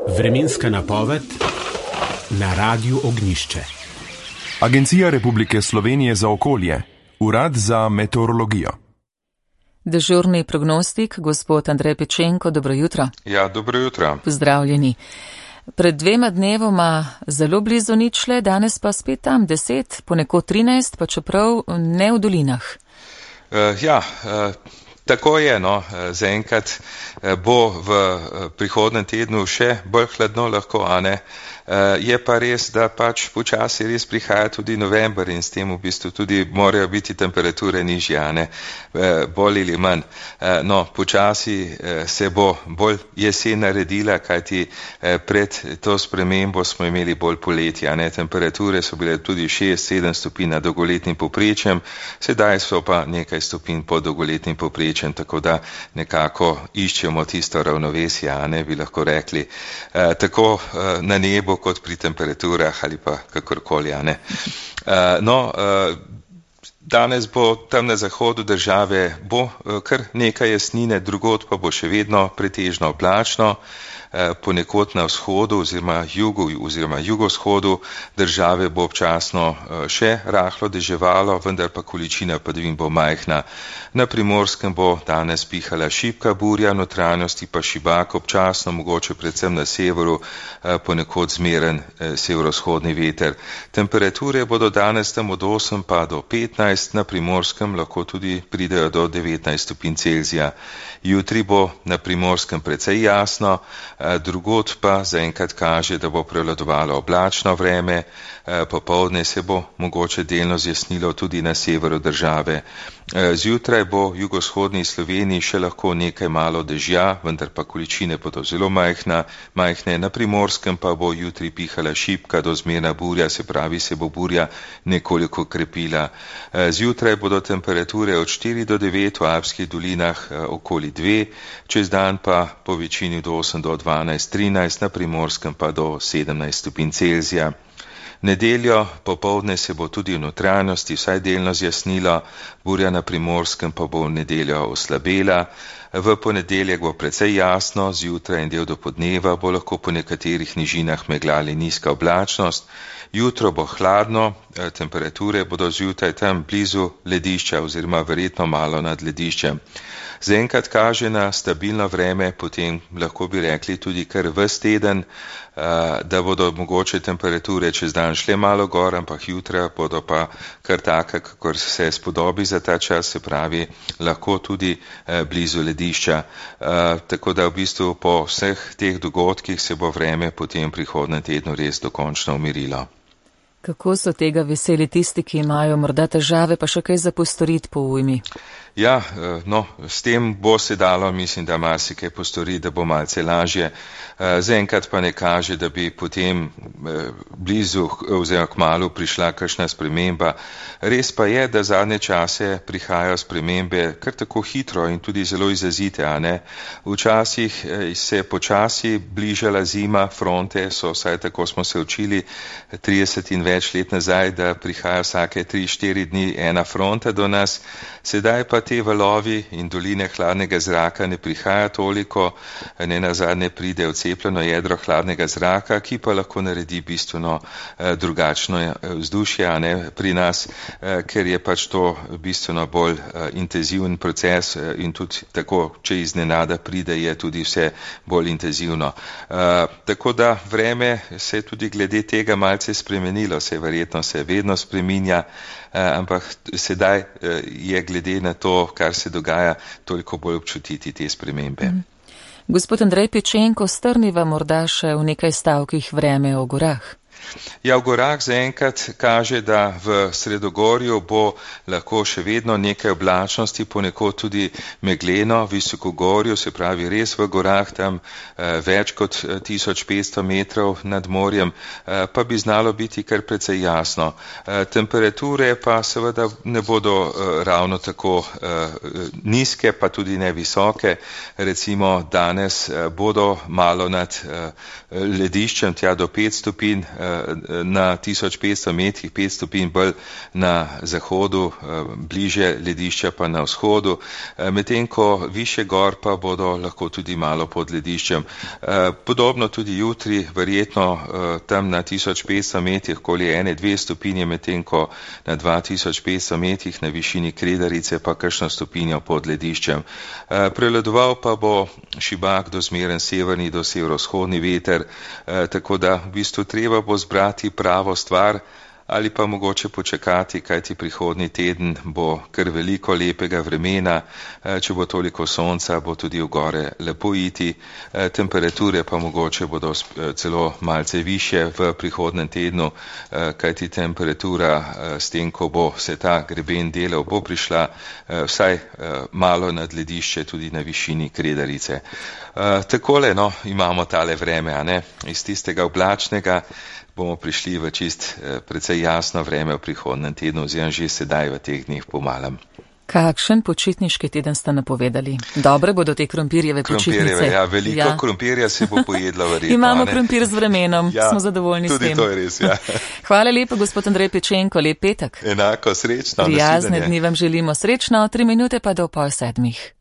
Vremenska napoved na Radiu Ognjišče. Agencija Republike Slovenije za okolje, Urad za meteorologijo. Dežurni prognostik, gospod Andrej Pečenko, dobro jutro. Ja, dobro jutro. Pozdravljeni. Pred 2 dnevoma zelo blizu ničle, danes pa spet tam 10, ponekod 13, pa čeprav ne v dolinah. Tako je, zaenkrat bo v prihodnem tednu še bolj hladno lahko, a ne. Je pa res, da pač počasi res prihaja tudi november in s tem v bistvu tudi morajo biti temperature nižje, a ne, bolj ali manj. Počasi se bo bolj jesen naredila, kajti pred to spremembo smo imeli bolj poletje, a ne. Temperature so bile tudi 6-7 stopinj nad dolgoletnim povprečjem, sedaj so pa nekaj stopinj pod dolgoletnim povprečjem, tako da nekako iščemo tisto ravnovesje, a ne, bi lahko rekli, tako na nebu kot pri temperaturah ali pa kakorkoli, a ne. Danes bo tam na zahodu države bo kar nekaj jasnine, drugod pa bo še vedno pretežno oblačno, ponekod na vzhodu oziroma jugu oziroma jugovzhodu države bo občasno še rahlo deževalo, vendar pa količina padavin bo majhna. Na Primorskem bo danes pihala šibka burja, notranjosti pa šibak, občasno mogoče predvsem na severu, ponekod zmeren severovzhodni veter. Temperature bodo danes tam od 8 pa do 15, na Primorskem lahko tudi pridejo do 19 stopinj Celzija. Jutri bo na Primorskem precej jasno, drugod pa zaenkrat kaže, da bo prevladovalo oblačno vreme, popoldne se bo mogoče delno zjasnilo tudi na severu države. Zjutraj bo v jugovzhodni Sloveniji še lahko nekaj malo dežja, vendar pa količine bodo zelo majhne, na Primorskem pa bo jutri pihala šibka do zmerna burja, se pravi, se bo burja nekoliko krepila. Zjutraj bodo temperature od 4 do 9, v Alpskih dolinah okoli 2, čez dan pa po večini od 8 do 12, 13, na Primorskem pa do 17 stopinj Celzija. Nedeljo popoldne se bo tudi v notranjosti vsaj delno zjasnilo, burja na Primorskem pa bo v nedeljo oslabela. V ponedeljek bo precej jasno, zjutraj in del do podneva bo lahko po nekaterih nižinah megla ali nizka oblačnost. Jutro bo hladno, temperature bodo zjutraj tam blizu ledišča oziroma verjetno malo nad lediščem. Zaenkrat kaže na stabilno vreme, potem lahko bi rekli tudi kar ves teden, da bodo mogoče temperature čez dan šle malo gor, ampak jutra bodo pa kar taka, kakor se spodobi za ta čas, se pravi, lahko tudi blizu ledišča. Tako da v bistvu po vseh teh dogodkih se bo vreme potem v prihodnem tednu res dokončno umirilo. Kako so tega veseli tisti, ki imajo morda težave, pa še kaj za postoriti po ujmi? Ja, s tem bo se dalo, mislim, da marsikaj postoriti, da bo malce lažje. Zaenkrat pa ne kaže, da bi potem blizu oziroma kmalu prišla kakšna sprememba. Res pa je, da zadnje čase prihajajo spremembe kar tako hitro in tudi zelo izrazite, a ne. Včasih se počasi bližala zima, fronte so, vsaj tako smo se učili 30 in več let nazaj, da prihaja vsake 3-4 dni ena fronta do nas. Sedaj pa te valovi in doline hladnega zraka ne prihaja toliko, ne nazadnje pride odcepljeno jedro hladnega zraka, ki pa lahko naredi bistveno drugačno vzdušje, a ne, pri nas, ker je pač to bistveno bolj intenziven proces in tudi tako, če iznenada pride, je tudi vse bolj intenzivno. Tako da vreme se tudi glede tega malce spremenilo, verjetno se vedno spreminja, ampak sedaj je glede na to, kar se dogaja, toliko bolj občutiti te spremembe. Gospod Andrej Pečenko, strniva morda še v nekaj stavkih vreme o gorah. Ja, v gorah zaenkrat kaže, da v Sredogorju bo lahko še vedno nekaj oblačnosti, ponekod tudi megleno, visokogorju, se pravi res v gorah, tam več kot 1500 metrov nad morjem, pa bi znalo biti kar precej jasno. Temperature pa seveda ne bodo ravno tako nizke, pa tudi ne visoke. Recimo danes bodo malo nad lediščem, tja do 5 stopinj na 1500 metrih, 5 stopinj bolj na zahodu, bliže ledišča pa na vzhodu, medtem ko više gor pa bodo lahko tudi malo pod lediščem. Podobno tudi jutri, verjetno tam na 1500 metrih, okoli 1-2 stopinje, medtem ko na 2500 metrih na višini Kredarice pa kakšno stopinjo pod lediščem. Prevladoval pa bo šibak do zmeren severni do severovzhodni veter, tako da v bistvu treba bo zbrati pravo stvar ali pa mogoče počakati, kajti prihodnji teden bo kar veliko lepega vremena, če bo toliko sonca, bo tudi v gore lepo iti, temperature pa mogoče bodo celo malce više v prihodnem tednu, kajti temperatura s tem, ko bo se ta greben delal, bo prišla vsaj malo nad ledišče tudi na višini Kredarice. Takole, no, imamo tale vreme, a ne, iz tistega oblačnega bomo prišli v čist precej jasno vreme v prihodnem tednu, oziroma že sedaj v teh dneh pomalem. Kakšen počitniški teden ste napovedali? Dobre bodo te krompirjeve počitnice. Ja, veliko krompirja se bo pojedlo verjetno. Imamo krompir z vremenom, smo zadovoljni s tem. Tudi to je res, ja. Hvala lepa, gospod Andrej Pečenko, lep petek. Enako, srečno. Prijazne dni vam želimo, srečno, 3 minute pa do 6:30.